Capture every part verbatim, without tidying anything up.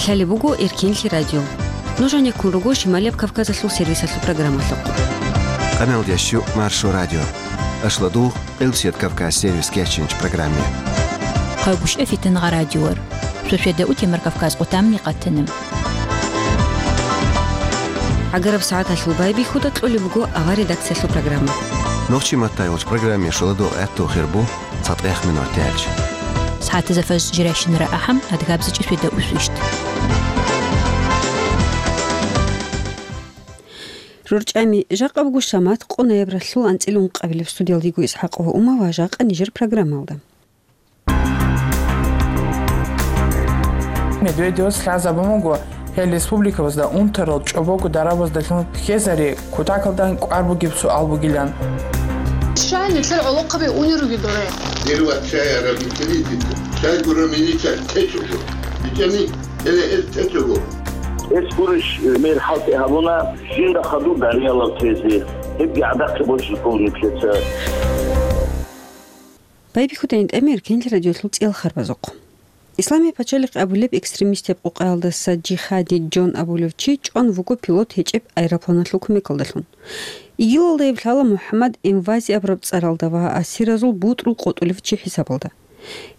Лъалеб буго Эркенлъи радио. Нуж гьанеккун руго Шималияб Кавказалъул сервисалъул программалъухъ. Къамел ящу Маршо радио. Ашладугъ, Къилсият Кавказ сервис кечинч программе. Хъайгушев Фитингъа радиор. Шошеда утемар Кавказ къутамни къатанам. Агараб сагӀаталъул байбихьуда кьолеб буго авар редакциялъул программа. Нохчи маттай вач программе шуладу гӀатту хирбу. ЦатӀех минут тӀелч. СагӀатазда фаж жирайщинара ахӀам, адгабзичӀи шведа усвищ. РорчӀами, жакъа буго шамат къо ноябралъул анцӀила ункъабилеб. Студиялда йиго ИсхӀакъ ва Ума ва жакъа нижер программалда. Медведевас лъазабун буго, гьел республикабазда унтарал чӀобого дарабаздалъун хезари, кутакалдан кӀвар бугеб суал бугилан. Щай нилъер гӀолохъаби унел ругел дора? Дир вацай араб итилитица, чай гуромилица течӀого. БичӀани, гьеле гьез течӀого. Эс гурищ мер хӀалтӀи гьабуна, жинда хадуб дариялав тезе. Гьебги гӀадахъе бочӀи полниклъица. Байбихьудайин тӀамир кенлъи радиолъул цӀел харбазухъ. Исламияб пачалихъ абулеб экстремистяб къукъаялдаса Жихади Джон абулев чи чӀван вуго пилот гьечӀеб аэропланалъул кумекалдалъун. ИГИЛалдаяб лъала МухӀаммад Эмвази абураб цӀаралда ва асиразул бутӀрул къотӀулев чи хӀисабалда.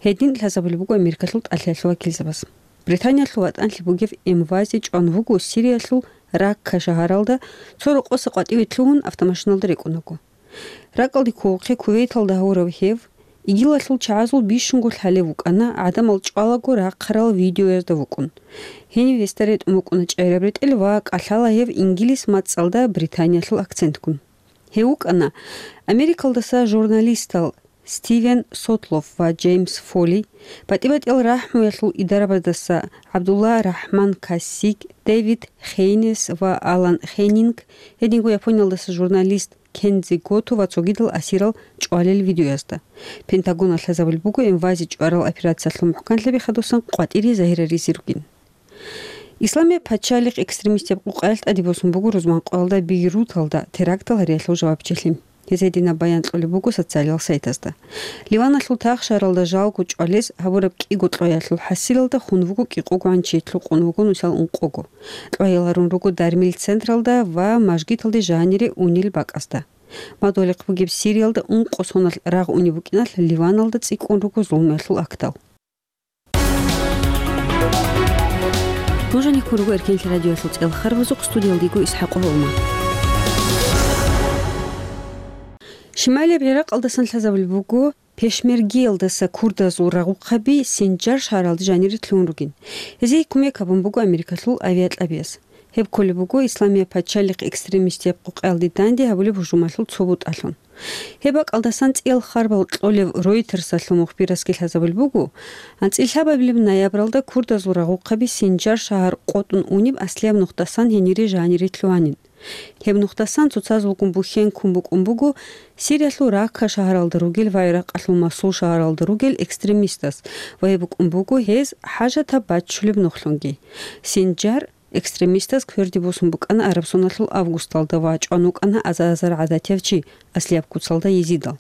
Гьедин лъазабулеб буго Америкалъул тӀалъиялъул вакилзабаз. Британиялъул ватӀанлъи бугев Эмвази чӀван вуго Сириялъул Ракка шагьаралда, цо рокъоса къватӀиве лъугьун автомашиналда рекӀун вуго. РакӀалде кколухъе Кувейталда гьавурав гьев, ИГИЛалъул чагӀазул бищунго лъалев вукӀана, гӀадамал чӀвалаго рахъарал видеоязда вукӀун. Гьенив гьесда ретӀун букӀуна чӀегӀераб ретӀел ва кӀалъала гьев ингилис мацӀалда Британиялъул акцентгун. Гьев вукӀана Америкалдаса журналистал Стивен Сотлов ва Джеймс Фоли, батӀи-батӀиял рахӀмуялъул идарабаздаса ГӀабдулла РахӀман Кассиг, Дэвид Хейнес ва Алан Хеннинг, гьединго Япониялдаса журналист Кензи Гото ва цогидал асирал чӀвалел видеоязда. Пентагоналъ лъазабулеб буго Эмвази чӀварал операциялъул мухӀканлъаби хадусан къватӀире загьираризе ругин. Исламияб пачалихъ экстремистяб къукъаялъ тӀаде босун буго рузман къоялда Бейруталда терактал гьариялъул жавабчилъи. Гьез гьединаб баян кьолеб буго социалиял сайтазда. Ливаналъул тахшаралда жалго чӀвалез гьабураб кӀиго кьоялъул хӀасилалда хун вуго кӀикъого гӀанчи, лъукъун вуго нусал ункъого. Кьваял гьарун руго дармил централда ва мажгиталде жанире унел бакӀазда. Мадугьалихъ бугеб Сириялда ункъо соналъ рагъ унеб букӀиналъ Ливаналда цӀикӀкӀун руго зулмуялъул актал. Нуж гьанеккун руго Эркенлъи радиоялъул цӀел харбазухъ, студиялда йиго ИсхӀакъ ва Ума. Шималияб ГӀиракъалдасан лъазабулеб буго, пешмергиялдаса курдазул рагъухъаби Синджар шагьаралде жанире лъугьун ругин. Гьезие кумек гьабун буго Америкалъул авиакьабияс. Гьеб кколеб буго Исламияб пачалихъ экстремистияб къукъаялде данде гьабулеб гьужумалъул цо бутӀалъун. Гьеб бакӀалдасан цӀиял харбал кьолев Ройтерсалъул мухбирасги лъазабулеб буго, анцӀила лъабабилеб ноябралда курдазул рагъухъаби Синджар шагьар къотӀун унеб аслияб нухдасан гьенире жанире лъугьанин. Гьеб нухдасан цоцазулгун бухьен ккун букӀун буго Сириялъул Ракка шагьаралда ругел ва ГӀиракъалъул Мосул шагьаралда ругел экстремистас ва гьеб букӀун буго гьез хӀажатаб баччулеб нухлъунги. Синджар экстремистаз кверде босун букӀана араб соналъул августалда ва чӀван вукӀана азар-азар гӀадатияв чи, аслияб куцалда Езидал.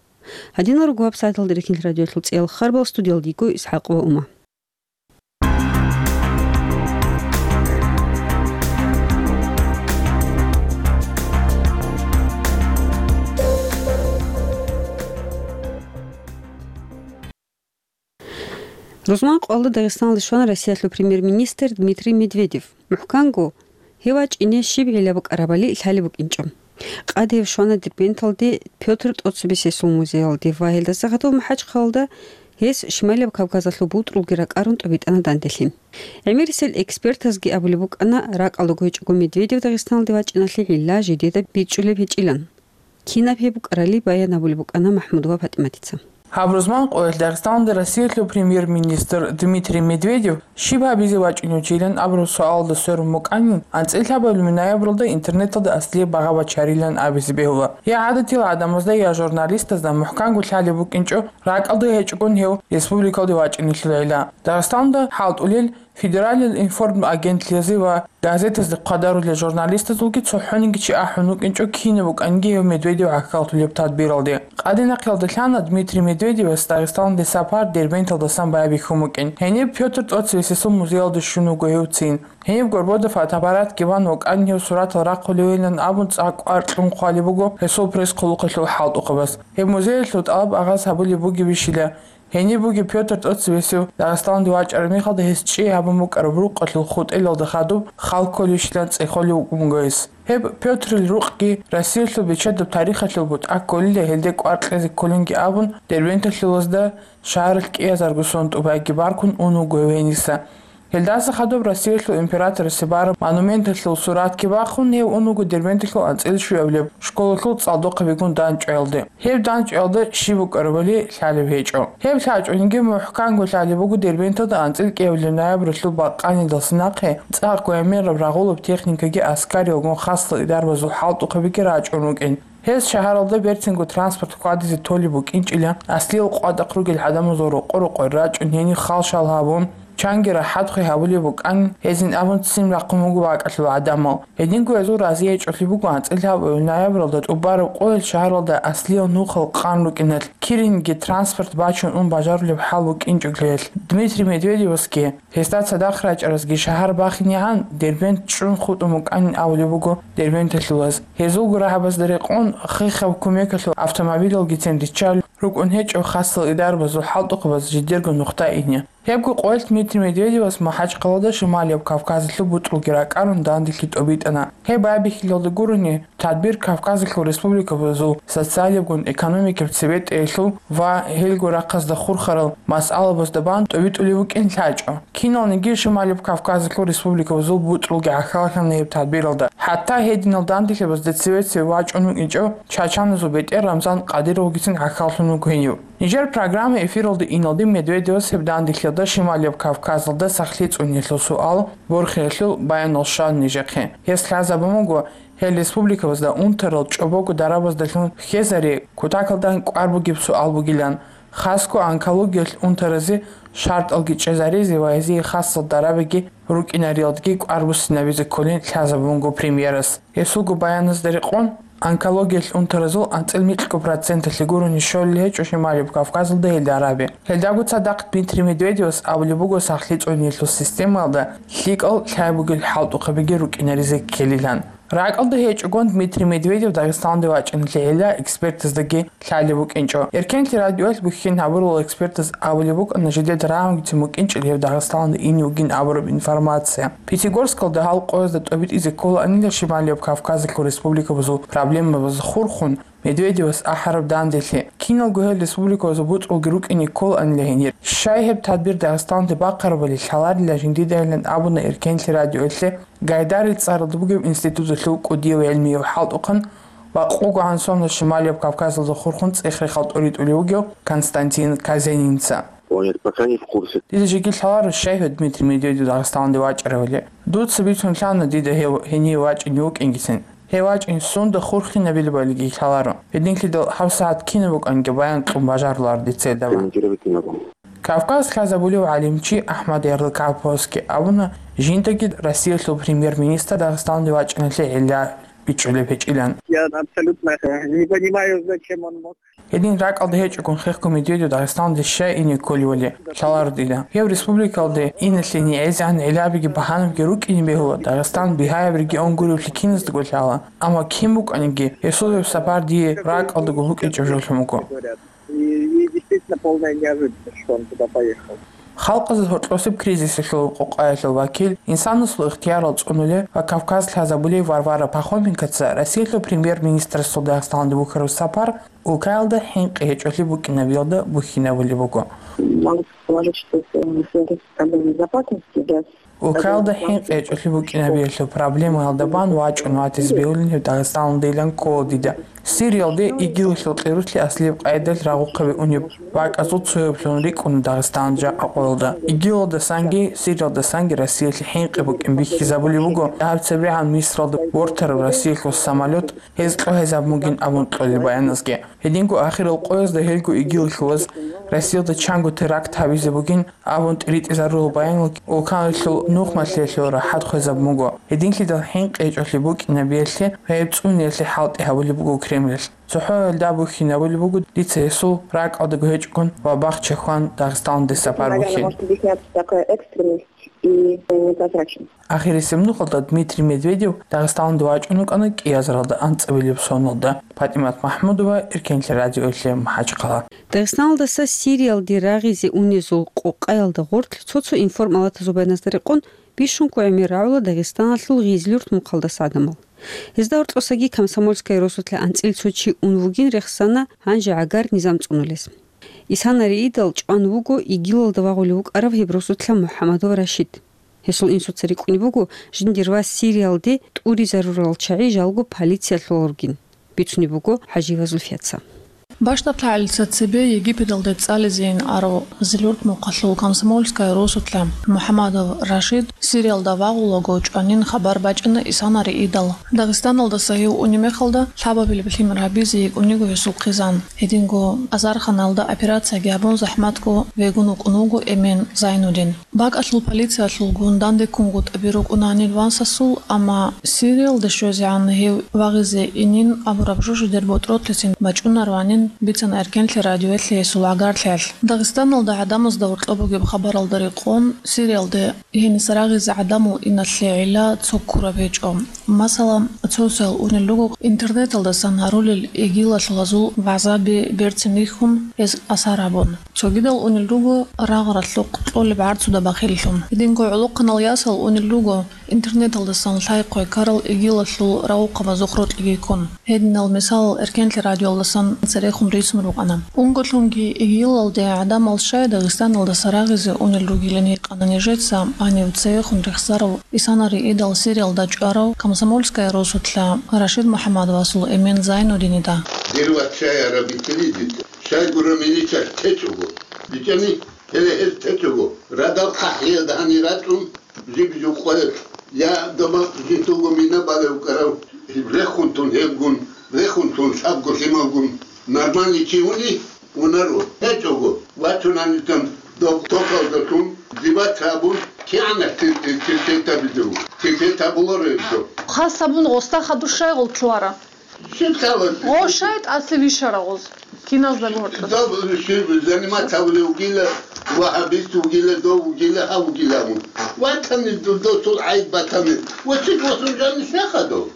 Гьадинал руго вебсайталда Эркенлъи радиоялъул цӀиял харбал, студиялда йиго ИсхӀакъ ва Ума. Рузман къоялда Дагъистаналде щвана Россиялъул премьер-министр Дмитрий Медведев. МухӀканго, гьев вачӀине щиб гӀилла букӀарабали лъалеб букӀинчӀо. Къаде гьев щвана Дербенталде Пётр тӀоцебесесул музеялде ва гьелдаса гьадув МахӀачхъалалда гьес Шималияб Кавказалъул бутӀрулги ракӀарун тӀубитӀана данделъи. ГӀемерисел экспертазги абулеб букӀана, ракӀалда гьечӀого Медведев Дагъистаналде вачӀиналъе гӀилла жидеда бичӀчӀулеб гьечӀилан. Кинаб гьеб букӀарали баян гьабулеб букӀана МахӀмудова ПатӀиматица. Гьаб рузман къоялъ Дагъистаналда Россиялъул премьер-министр Дмитрий Медведев щиб гьабизе вачӀинев чилан абураб суалалда сверун букӀанин, анцӀила лъабабилеб ноябралда интернеталда аслияб багъа бачарилан абизе бегьула. Я гӀадатиял гӀадамазда, я журналистазда мухӀканго лъалеб букӀинчӀо, ракӀалда гьечӀогун гьев республикалде вачӀинелъул гӀилла. Дагъистаналда хӀалтӀулел Федералил информагентлъиялъе ва газетазде хъвадарулел журналистазулги цохӀониги чи ахӀун вукӀинчӀо кинаб букӀанги гьев Медведев гӀахьаллъулеб тадбиралде. Къаде нахъе лъана Дмитрий Медведевас Дагъистаналде сапар Дербенталдасан байбихьун букӀин. Гьениб Пётр тӀоцевесесул музеялде щун вуго гьев цин. Гьениб горбода фотоаппаратги ван вукӀан гьев суратал рахъулевилан абун цӀакъ кӀвар кьун хъвалеб буго гьесул пресс-хъулухъалъул хӀалтӀухъабаз. Гьеб музеялъул тӀалаб агъаз гьабулеб бугебищила, гьениб бугеб Пётр тӀоцевесев Дагъистаналде вачӀараб мехалда гьес чӀей гьабун букӀараб рукъалъул хутӀелалда хадуб хал кколищилан цӀехолев вукӀун вуго гьес. Гьеб Пётрил рукъги Россиялъул бечедаб тарихалъул бутӀа кколила, гьелде кӀвар кьезе кколинги абун, Дербенталъулазда шагьаралъ кӀиазарго сон тӀубайги баркун ун вуго гьев гьениса. Гьелдаса хадуб Россиялъул императорасе бараб монументалъул суратги бахъун, гьев ун вуго Дербенталъул анцӀила щуабилеб школалъул цӀалдохъабигун дандчӀваялде. Гьеб дандчӀваялда щиб букӀарабали лъалеб гьечӀо. Гьеб лъачӀониги мухӀканго лъалеб буго Дербенталда анцӀила кӀиабилеб ноябрьалъул бакъанидалъ нахъе цӀакъго гӀемераб рагъулаб техникаги аскариялгун хасал идарбазул хӀалтӀухъабиги рачӀун рукӀин. Гьез шагьаралда берцинго транспорт хьвадизе толеб букӀинчӀила, аслиял къватӀахъ ругел гӀадамазул рокъо-рокъор рачӀун гьениб хал-шал гьабун, чанги рахӀатхъи гьабулеб букӀан гьезин абун ццин рахъун буго бакӀалъул гӀадамал. Гьединго гьезул рази гьечӀолъи буго анцӀила гьаб ноябралда тӀубараб къоялъ шагьаралда аслиял нухал къан рукӀиналъ, киринги транспорт бачун ун бажарулеб хӀал букӀинчӀолъиялъ. Дмитрий Медведевасги гьесда цадахъ рачӀаразги шагьар бахинегӀан Дербент чӀун хутӀун букӀанин абулеб буго дербенталъулаз. Гьезулго рагӀабазда рекъон хихаб кумекалъул автомобилалгицин риччал рукӀун гьечӀо хасал идарбазул хӀалтӀухъабаз жидерго нухда ине. Гьебго къоялъ Дмитрий Медведевас МахӀачхъалада Шималияб Кавказалъул бутӀрулги ракӀарун данделъи тӀобитӀана. Гьеб байбихьилалда гурони, тадбир Кавказалъул республикабазул социалиябгун экономикаб цебетӀеялъул ва гьелго рахъазда хурхарал масъалабазда бан тӀобитӀулев вукӀин лъачӀо. Киналниги Шималияб Кавказалъул республикабазул бутӀрулги гӀахьаллъана гьеб тадбиралда. ХӀатта гьединал данделъабазда цеве-цеве вачӀун вукӀинчӀо чачаназул бетӀер Рамзан Кадыровгицин гӀахьаллъун вуго гьенив. Нижер программа эфиралде иналде Медведевас гьеб данделъиялда Шималияб Кавказалда сахлъи цӀуниялъул суал борхиялъул баянал щван нижехъе. Гьес лъазабун буго, гьел республикабазда унтарал чӀобого дарабаздалъун хьезари кутакалда кӀвар бугеб суал бугилан, хасго онкологиялъ унтаразе шартӀалги чӀезаризе ва гьезие хасал дарабиги рукӀинариялдги кӀвар буссинабизе кколин лъазабун буго премьерас. Гьесулго баяназда рекъон, онкологиялъ унтаразул анцӀил микьго проценталъе гурони щолел гьечӀо Шималияб Кавказалда гьел дараби. Гьелдаго цадахъ Дмитрий Медведевас абулеб буго сахлъи цӀуниялъул системаялда лъикӀал лъай бугел хӀалтӀухъабиги рукӀинаризе ккелилан. РакӀалда гьечӀогун Дмитрий Медведев Дагъистаналде вачӀиналъе гӀилла экспертаздаги лъалеб букӀинчӀо. Эркенлъи радиоялъ бухьен гьабурал экспертаз абулеб букӀана, жидеда рагӀунгицин букӀинчӀел гьев Дагъистаналде ине вугин абураб информация. Пятигорскалда гьал къоязда тӀобитӀизе кколаанила Шималияб Кавказалъул республикабазул проблемабаз хурхун Медведевас ахӀараб данделъи. Киналго гьел республикабазул бутӀрулги рукӀине кколаанила гьенир. Щай гьеб тадбир Дагъистаналде бахъарабали лъаларила жиндидайилан абуна Эркенлъи радиоялъе Гайдарил цӀаралда бугеб институталъул кӀудияв гӀелмияв хӀалтӀухъан ва къугӀан соналъ Шималияб Кавказалда хурхун цӀех-рехал тӀоритӀулев вугев Константин Казенинца. Он это пока не в курсе. Дида жеги лъаларо, щай гьев Дмитрий Медведев Дагъистаналде вачӀаравали. Дуца бицун лъана дида гьев гьенив вачӀине вукӀингицин. Гьев вачӀин сунда хурхинабилебалиги лъаларо. Гьединлъидал гьабсагӀат кинаб букӀанги баян кьун бажарулар дица гьелдабан. Комментировать не могу. Кавказ лъазабулев гӀалимчи АхӀмад Ярлыкаповасги абуна, жиндаги Россиялъул премьер-министр Дагъистаналде вачӀиналъе гӀилла бичӀчӀулеб гьечӀилан. Я абсолютно, э, не понимаю, зачем он мог. Гьедин ракӀалда гьечӀогун хехго Медведев Дагъистаналде щай ине кколивали лъаларо дида. Гьев республикалде иналъе нигӀезегӀан гӀиллабиги багьанаги рукӀине бегьула, Дагъистан бигьаяб регион гуревлъи киназдаго лъала. Амма кин букӀаниги, гьесул гьеб сапар дие ракӀалдаго букӀинчӀеб жолъун буго. И, и действительно полная неожиданность, что он туда поехал. Халкъазул гьоркьосеб кризисалъул къокъаялъул вакил, инсанасул ихтиярал цӀунулев ва Кавказ лъазабулев Варвара Пахоменкоца Россиялъул премьер-министрасул Дагъистаналде бухьараб сапар улкаялда хӀинкъи гьечӀолъи букӀинабиялда бухьинабулеб буго. Могу предположить, что это, э, связано с проблемой безопасности, да. Улкаялда хӀинкъи гьечӀолъи букӀинабиялъул проблемаялда бан вачӀун ватизе бегьулин гьев Дагъистаналдейилан ккола дида. Сириялде ИГИЛалъул къируслъи аслияб къайдалъ рагъухъаби унеб вакӀазул цояблъун рикӀкӀуна Дагъистан жакъа къоялда. ИГИЛалдасанги Сириялдасанги Россиялъе хӀинкъи букӀин бихьизабулеб буго дагьаб цебегӀан Мисралда вортараб Россиялъул самолет, гьез кьогьезабун бугин абун кьолел баяназги. Гьединго ахирал къоязда гьелго ИГИЛ лъугьаз Россиялда чанго теракт гьабизе бугин абун тӀиритӀизарурал баянал улканалъул нухмалъиялъул рахӀат хвезабун буго. Гьединлъидал хӀинкъи гьечӀолъи букӀинабиялъе ва гьеб цӀуниялъе хӀалтӀи гьабулеб буго Кремлалъ. ЦохӀоялда абухьинабулеб буго дица гьесул ракӀалдаго гьечӀогун ва бахча хван Дагъистаналдаса парбухьин. Ахирисеб нухалда Дмитрий Медведев Дагъистаналде вачӀун вукӀана кӀиазаралда анцӀабилеб соналда. ПатӀимат МахӀмудова, Эркенлъи радиоялъе МахӀачхъала. Дагъистаналдаса Сириялде рагъизе унезул къокъаялда гъорлъ цо-цо информалатазул баяназда рекъон бищунго гӀемер рагӀула Дагъистаналъул Гъизлюрт мухъалдаса гӀадамал. Гьезда гьоркьосаги Комсомольская росулъа анцӀил цо чи ун вугин рехсана гьанже гӀагар низам цӀунулес. Исанариидал чӀван вуго ИГИЛалда вагъулев вукӀарав гьеб росулъа МухӀаммадов Рашид. Гьесул инсуца рикӀкӀунеб буго, жиндир вас Сириялде тӀуризарурал чагӀи жалго полициялъул ругин, бицунеб буго ХӀажиева Зульфияца. Бащдаб лъагӀалица цебе Египеталде цӀализейин арав Гъизлюрт мухъалъул Комсомольская росулъа МухӀаммадов Рашид Сириялда вагъулаго чӀванин хабар бачӀана Исанариидал. Дагъистаналдаса гьев унеб мехалда лъабабилеб лъимер гьабизе йикӀун йиго гьесул хъизан. Гьединго азарханалда операцияги гьабун, захӀматго вегун вукӀун вуго Эмен Зайнудин. БакӀалъул полициялъулгун дандеккунгутӀаби рукӀуна гьанир васасул, амма Сириялде щвезегӀан гьев вагъизе инин абураб жо жидер ботӀротлъицин бачӀунараванин бицана Эркенлъи радиоялъе гьесул гӀагарлъиялъ. Дагъистаналда гӀадамазда гьоркьоб бугеб хабаралда рекъон, Сириялде гьениса рагъизе гӀадамал иналъе гӀилла цо ккураб гьечӀо. Масала, цо-цоял унел руго интернеталдасан гьарулел ИГИЛалъул гьазул вагӀзаби берцин рихьун, гьез асар гьабун. Цогидал унел руго рагъ-ралъухъ кьолеб гӀарцуда бахиллъун. Гьединго гӀолохъанал ясал унел руго интернеталдасан лъай-хъвай ккарал ИГИЛалъул рагъухъабазухъ рокьиги ккун. Гьединал мисалал Эркенлъи радиоялдасан церехун рицун рукӀана. Унголъунги ИГИЛалде гӀадамал щай Дагъистаналдаса рагъизе унел ругилан гьикъана нижеца гьанив церехун рехсарав Исанариидал Сириялда чӀварав Комсомольская росулъа Рашид МухӀаммадовасул Эмен Зайнудинида. Дир вацай арабицинидид. Щайгура милицалъ течӀого. БичӀани, гьеле гьез течӀого. Радал хъахӀиялда гьанир рачӀун, жиб-жукъоялъ, я доба жинтуго мина балев вукӀарав, рехун тун гьебгун, рехун тун лъабго лъималгун, нормальный чи уни, унаро. ГьечӀого, вачунани тан доб токалда тун, дибаца абун, кигӀанас тил-, тил-, тил-, тил-, табидев, тил-, тил-, табуларо гьеб. Хас абун гъоста хадур щай гъолчуара? Щиб лъала? Гъо щай тӀаса вишара гъоз? Киназда гьоркьос? Доб щиб заниматься вугила, вагьабист вугила, дов вугила, гьав вугила мун. Ватани ду-, досул гӀайиб батани. Ва чи досул жани сехадо?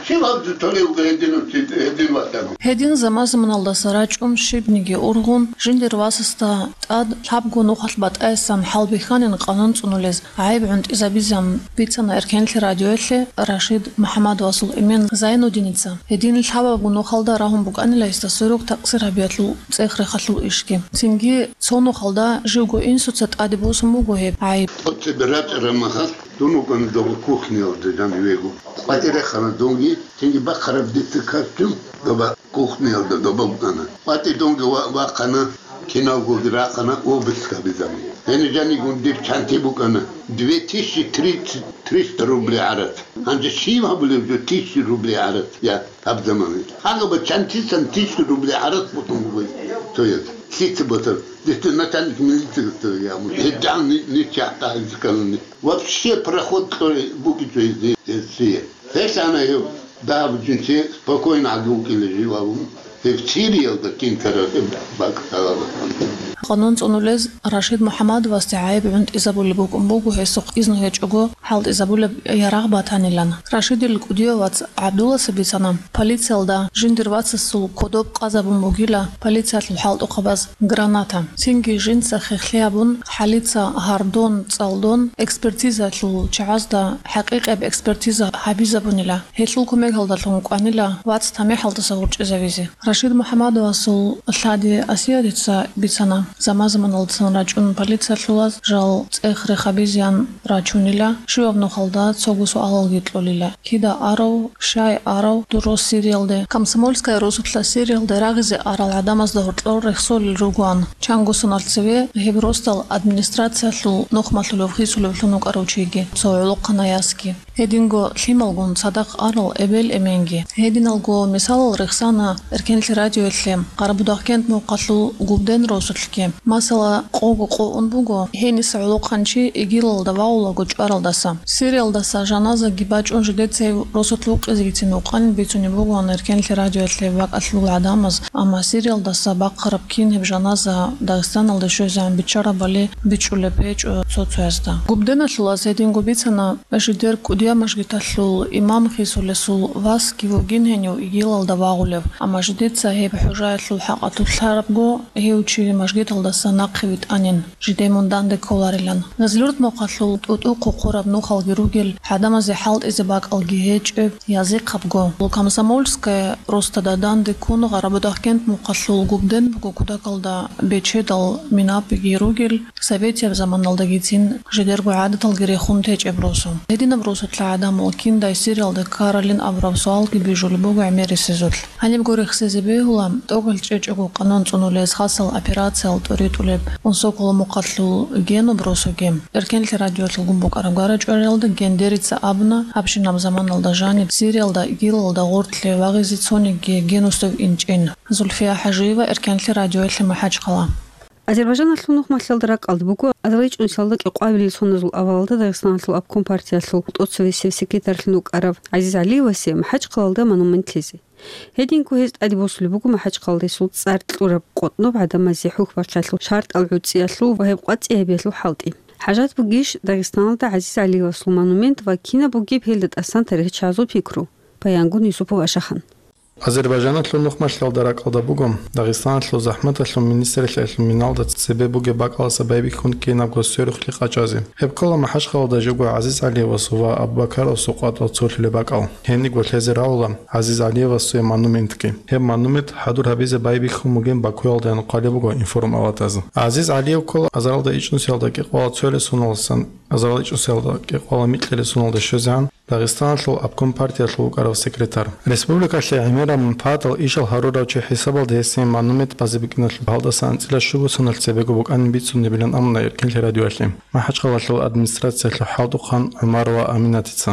Щиб гьаб толев гьедин, гьедин ватани? Гьедин заман-заманалдаса рачӀун щибниги ургъун, жиндир васасда тӀад лъабго нухалъ батӀаясан хӀалбихьанин къанун цӀунулез гӀайиб гӀунтӀизабизан бицана Эркенлъи радиоялъе Рашид МухӀаммадовасул Эмен Зайнудиница. Гьедин лъабабго нухалда рагьун букӀанила гьесда сверухъ такъсир гьабиялъул цӀех-рехалъул ишги. Цинги цо нухалда живго инсуца тӀаде босун буго гьеб гӀайиб. Оцебе рачӀараб махалъ дун вукӀана доба кухниялда жанивего. КъватӀире хана дунги, цинги бахъараб дица костюм доба кухниялда доба букӀана. КъватӀи дунги ва-, вахъана, киналгоги рахъана, обыск гьабизабун. Гьениб жанигун дир чанти букӀана две тысячи триста рублей гӀарц. Гьанже щив гьабулев жо тысяча рублей гӀарц, я, гьаб замана? Гьагъаба чантисан тысяча рублей гӀарц бутун бугой цояз. Лъица батар? Дихъе начальник милиции гьабун. ГьедигӀан ни-, ничагӀ тӀагӀинчӀкӀалани. Вообще проход кьолеб букӀинчӀо гьезие. Гьелъана гьев дагьаб жинца спокойно гӀаги вукӀила жив абун, гьев Сириялда кин караде бакӀ ккарала. Къанун цӀунулез Рашид МухӀаммадовасде гӀайиб гӀунтӀизабулеб букӀун буго гьесухъ изну гьечӀого хӀалтӀизабулеб ярагъ батанилан. Рашидил кӀудияв вац ГӀабдулласа бицана, полициялда жиндир вацасул кодоб къазабун бугила полициялъул хӀалтӀухъабаз граната. Цинги жинца хехлъи гьабун, хӀалица гьардон, цӀалдон экспертизаялъул чагӀазда хӀакъикъияб экспертиза гьабизабунила. Гьелъул кумекалдалъун кӀванила вац тамихӀалдаса гъоркьизавизе. Рашид МухӀаммадовасул лъади Асиятица бицана, заман-заманалдасан рачӀун полициялъулаз жал цӀех-рех гьабизеян рачунила, щиваб нухалда цого суалалги кьолила: кида арав, щай арав дур рос Сириялде? Комсомольская росулъа Сириялде рагъизе арал гӀадамазда гьоркьор рехсолел ругоан. Чанго соналъ цеве гьеб росдал администрациялъул нухмалъулев хисулевлъун вукӀарав чиги, цо гӀолохъанай ясги. Гьединго лъималгун цадахъ арал эбел-эменги. Гьединалго мисалал рехсана Эркенлъи радиоялъе Къарабудагъкент мухъалъул Губден росулъги. Масала, къого къо ун буго гьениса гӀолохъанчи ИГИЛалда вагъулаго чӀваралдаса. Сириялдаса жаназаги бачӀун жидеца гьев росулъ вукъизегицин вукъанин бицунеб бугоан Эркенлъи радиоялъе бакӀалъул гӀадамаз, амма Сириялдаса бахъараб кин гьеб жаназа Дагъистаналде щвезегӀан биччарабали бичӀчӀулеб гьечӀо цо-цоясда. Губденалъулаз гьединго бицана, жидер кӀудияв мажгиталъул имам хисулесул васги вугин гьенив ИГИЛалда вагъулев, амма жидеца гьеб хӀужаялъул хӀакъалъулъ лъарабго, гьев чи мажгиталдаса нахъе витӀанин, жидее мун данде кколарилан. Гъезлъурт мухъалъул тӀутӀу хъухъураб нухалги ругел, гӀадамазе хӀалтӀизе бакӀалги гьечӀеб, язихъабго. Комсомольская росдада данде ккун Къарабудагъкент мухъалъул Губден буго кутакалда бечедал минапиги ругел, советияб заманалдагицин жидерго гӀадаталги рехун течӀеб росу. Гьединаб росулъа гӀадамал киндай Сириялда ккаралин абураб суалги бижулеб буго гӀемерисезулъ. Гьанибго рехсезе бегьула, тӀокӀал чӀечӀого къанун цӀунулез хасал операциял тӀоритӀулеб Унсоколо мухъалъул Генуб росуги. Эркенлъи радиоялъулгун букӀараб гара-чӀвариялда Гендерица абуна, гьабщинаб заманалда жаниб Сириялда ИГИЛалда гъортлъи вагъизе цонигги Генусев инчӀин. Зульфия ХӀажиева, Эркенлъи радиоялъе МахӀачхъала. Азербайжаналъул нухмалъиялда ракӀалда буго азарилчӀунсиялда кӀикъоабилеб соназул авалалда Дагъистаналъул обком партиялъул тӀоцевесев секретарьлъун вукӀарав ГӀазиз ГӀалиевасе МахӀачхъалалда монумент лъезе. Гьединго гьез тӀаде босулеб буго МахӀачхъалалда гьесул цӀар кьураб къотӀноб гӀадамазе хӀухь-бархӀиялъул, шартӀал гӀуцӀиялъул ва гьеб къватӀиябиялъул хӀалтӀи. ХӀажат бугищ Дагъистаналда ГӀазиз ГӀалиевасул монумент ва кинаб бугеб гьелда тӀасан тарихчазул пикру? Баянгун Юсупов Ашахан. Азербайжаналъул нухмалъиялда ракӀалда буго Дагъистаналъул захӀматалъул министрлъиялъул миналда цебе бугеб бакӀаласа байбихьун кинабго сверухълъи къачӀазе. Гьеб ккола МахӀачхъалалда живго ГӀазиз ГӀалиевасул ва Абубакаровасул къватӀал цолъулеб бакӀал. Гьенибго лъезе равула ГӀазиз ГӀалиевасул монументги. Гьеб монумент хӀадур гьабизе байбихьун бугин Бакуялдаян хъвалеб буго информпалатаз. ГӀазиз ГӀалиев ккола азарилда ичӀнусиялда кӀикъоялда цоялъул суналдасан, азарилда ичӀнусиялда кӀикъоялда микьилъул суналда щвезегӀан Дагъистаналъул обком партиялъул вукӀарав секретарь. Республикалъе гӀемераб манпагӀатал ишал гьарурав чи хӀисабалда гьесие монумент базе букӀиналъул гьалдаса анцӀила щуго соналъ цебего букӀанин бицунебилан абуна Эркенлъи радиоялъе МахӀачхъалалъул администрациялъул хӀалтӀухъан ГӀумарова Аминатица.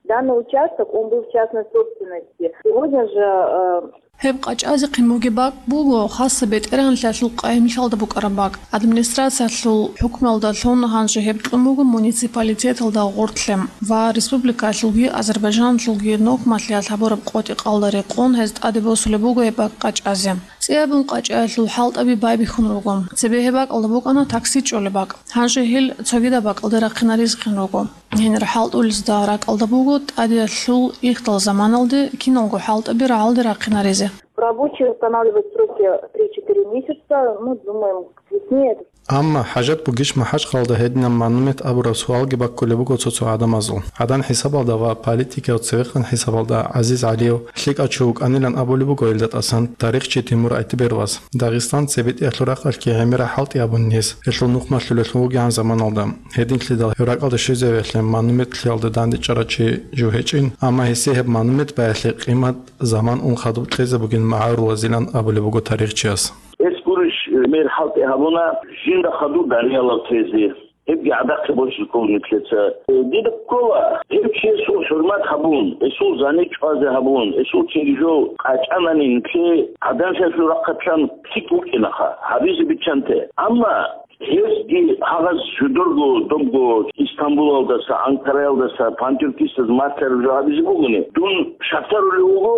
Данный участок, он был в частной собственности. Сегодня же, э, Гьеб къачӀазехъин бугеб бакӀ буго хасаб бетӀергьанлъиялъул къайимлъиялда букӀараб бакӀ. Администрациялъул хӀукмуялдалъун гьанже гьеб кьун буго муниципалитеталда гъортлъи ва республикаялъулги Азербайжаналъулги нухмалъиялъ гьабураб къотӀи-къалда рекъон гьез тӀаде босулеб буго гьеб бакӀ къачӀазе. ЦӀиябун къачӀаялъул хӀалтӀаби байбихьун руго. Цебе гьеб бакӀалда букӀана такси чӀолеб бакӀ. Гьанже гьел цогидаб бакӀалде рахъинарезехъин руго. Гьенир хӀалтӀулезда ракӀалда буго тӀадеялъул ихдал заманалде киналго хӀалтӀаби рагӀалде рахъинаризе. Рабочие устанавливают сроки три-четыре месяца. Мы думаем, к весне это. Амма хӀажат бугищ МахӀачхъалалда гьединаб монумент абураб суалги баккулеб буго цо-цо гӀадамазул. ГӀадан хӀисабалда ва политикияв цевехъан хӀисабалда ГӀазиз ГӀалиев лъикӀав чи вукӀанилан абулеб буго гьелда тӀасан тарихчи Тимур Айтберовас. Дагъистан цебетӀиялъул рахъалъги гӀемераб хӀалтӀи гьабун гьес, гьелъул нухмалъулелъун вугегӀан заманалда. Гьединлъидал гьев ракӀалде щвезавиялъе монумент лъиялда дандечӀарав чи жив гьечӀин, амма гьесие гьеб монумент баялъе къимат заман ун хадуб кьезе бугин магӀарулазилан абулеб буго тарихчияс. Эс гурищ, мер хӀалтӀи гьабуна, жинда хадуб дариялав тезе. Гьебги гӀадахъе босизе ккола нилъеца. Дида ккола, гьев чиясул хӀурмат гьабун, гьесул зани чӀвазе гьабун, гьесул цинги жо къачӀанани нилъее гӀадамазул рахъалъан лъикӀ букӀинаха, гьабизе биччанте. Амма гьезги гьагъаз жидерго добго Истамбулалдаса, Анкараялдаса пантюркистаз мартар жо гьабизе бугони, дун шартӀарулев вуго,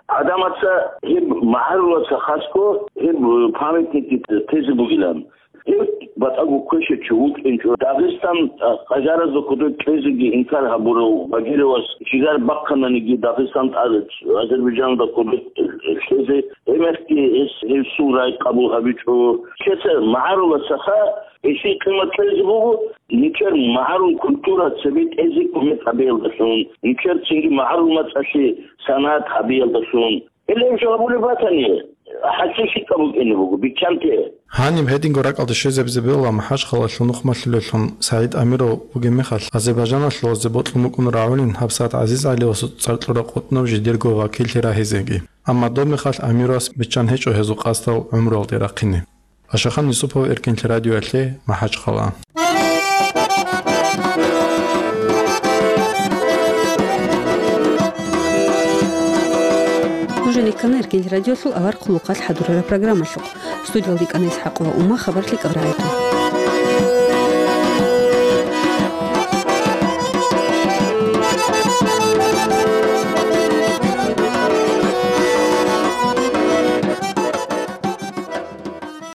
гӀадамаца гьеб магӀарулаца хасго гьеб памятникги тезе бугилан. Гьеб батӀаго квешав чи вукӀинчӀо. Дагъистан, а, къажаразда кодоб кьезеги инкар гьабурав Багировас жигар бахъананиги Дагъистан тӀад Азербайжаналда кодоб лъезе, гьебмехги гьес гьесул рай къабул гьабичӀо. Лъеца магӀаруласаха, гьесие къимат кьезе буго, нилъер магӀарул культура цебетӀезе кумек гьабиялдалъун, нилъер цинги магӀарул мацӀалъе санагӀат гьабиялдалъун. Гьеле гьеб жо гьабулеб батани, хӀалчи лъикӀаб букӀине буго, биччанте. Гьаниб гьединго ракӀалде щвезабизе бегьула МахӀачхъалалъул нухмалъулелъун СагӀид Амиров вугеб мехалъ, Азербайжаналъулазде бокьун букӀун рагӀулин гьабсагӀат ГӀазиз ГӀалиевасул цӀар кьураб къотӀноб жидерго вакиллъи рагьизеги. Амма доб мехалъ Амировас биччан гьечӀо гьезул къасдал гӀумруялде рахъине. Ашахан Юсупов, Эркенлъи радиоялъе, МахӀачхъала. Кана Эркенлъи радиолъул авар хъулухъалъ хӀадурараб программалъухъ. Студиялда кӀана ИсхӀакъова Ума, хабар лъикӀаб рагӀи тун.